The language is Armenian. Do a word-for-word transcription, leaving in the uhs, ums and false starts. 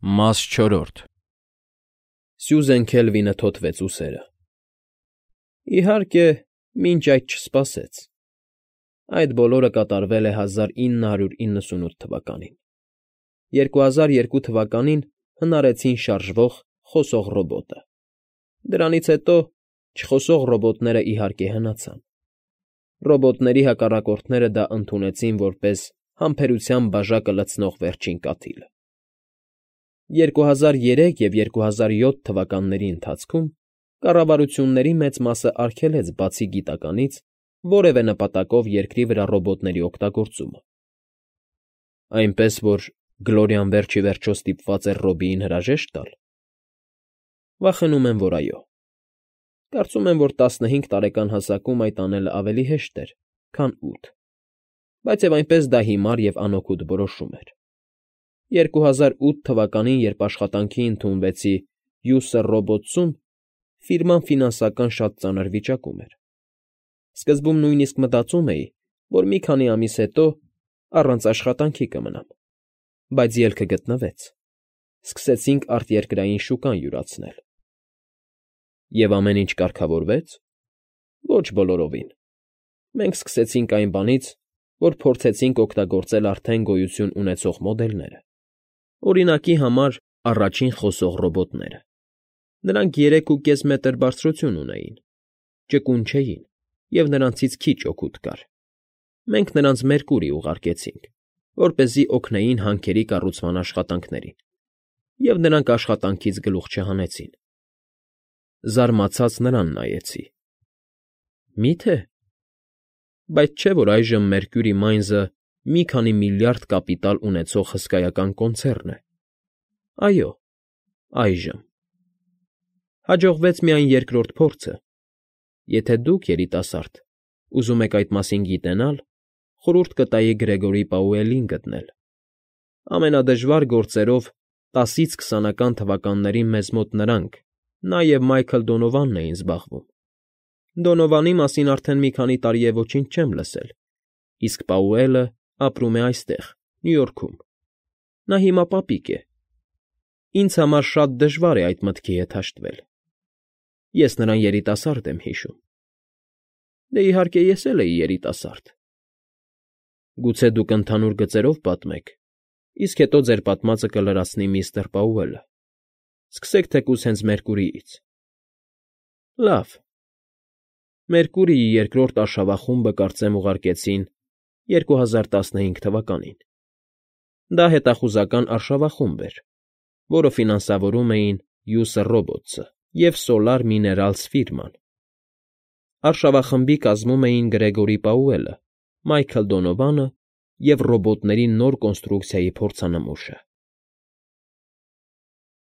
Մաս չորրորդ Սյուզեն Քելվինը թոթվեց ուսերը։ Իհարկե, մինչ այդ չսպասեց։ Այդ բոլորը կատարվել է հազար ինը հարյուր իննսունութ թվականին։ երկու հազար երկու թվականին հնարեցին շարժվող, խոսող ռոբոտը։ Դրանից հետո չխոսող ռոբոտները իհարկե հնացան։ Ռոբոտների հակառակորդները դա ընդունեցին որպես համբերության բաժակը լցնող վերջին կաթիլը։ երկու հազար երեք և երկու հազար յոթ թվականների ընթացքում կառավարությունների մեծ մասը արգելեց բացի գիտականից որևէ նպատակով երկրի վրա ռոբոտների օգտագործումը։ Այնպես որ Գլորիան վերջ ի վերջո ստիպված էր Ռոբիին հրաժեշտ տալ։ Վախենում եմ, որ այո։ Կարծում եմ, որ տասնհինգ տարեկան հասակում այդ անելը ավելի հեշտ էր, քան ութ, բայց և այնպես դա հիմար և անօգուտ որոշում էր։ երկու հազար ութ թվականին, երբ աշխատանքի ընդունվեցի User Robots-ում, ֆիրման ֆինանսական շատ ծանր վիճակում էր։ Սկզբում նույնիսկ մտածում էի, որ մի քանի ամիս հետո առանց աշխատանքի կմնամ, բայց ելքը գտնվեց. սկսեցինք արտերկրային շուկան յուրացնել։ Եվ ամեն ինչ կարգավորվե՞ց։ Ոչ բոլորովին։ Մենք սկսեցինք այն բանից, որ փորձեցինք օգտագործել արդեն գոյություն ունեցող մոդելները։ Օրինակի համար առաջին խոսող ռոբոտները։ Նրանք երեք ու կես մետր բարձրություն ունեին, ճկուն չէին, և նրանցից քիչ օգուտ կար։ Մենք նրանց Մերկուրի ուղարկեցինք, որպեսզի օգնեին հանքերի կառուցման աշխատանքներին, և նրանք աշխատանքից գլուխ չհանեցին։ Զարմացած նրան նայեցի։ Մի՞թե։ Բայց չէ՞ որ այժմ Մերկյուրի Մայնզը մի քանի միլիարդ կապիտալ ունեցող հսկայական կոնցեռն է։ Այո, այժմ։ Հաջողվեց միայն երկրորդ փորձը։ Եթե դուք, երիտասարդ, ուզում եք այդ մասին գիտենալ, խորհուրդ կտայի Գրեգորի Պաուելին գտնել։ Ամենադժվար գործերով տասից քսանական թվականներին մեզ մոտ նրանք, նա և Մայքլ Դոնովանն էին զբաղվում։ Դոնովանի մասին արդեն մի քանի տարի է ոչինչ չեմ լսել, իսկ Պաուելը ապրում է այստեղ, Նյու Յորքում։ Նա հիմա պապիկ է։ Ինձ համար շատ դժվար է այդ մտքի հետ հաշտվել։ Ես նրան երիտասարդ եմ հիշում։ Դե, իհարկե, ես էլ էի երիտասարդ։ Գուցե դուք ընդհանուր գծերով պատմեք, իսկ հետո ձեր պատմածը կլրացնի միստր Պաուելը։ Սկսեք թեկուզ հենց Մերկուրիից։ Լավ։ Մերկուրիի երկրորդ արշավախումբը կարծեմ ուղարկեցին երկու հազար տասնհինգ թվականին։ Դա հետախուզական արշավախումբ էր, որը ֆինանսավորում էին User Robots-ը և Solar Minerals ֆիրման։ Արշավախմբի կազմում էին Գրեգորի Պաուելը, Մայքլ Դոնովանը և ռոբոտների նոր կոնստրուկցիայի փորձանմուշը։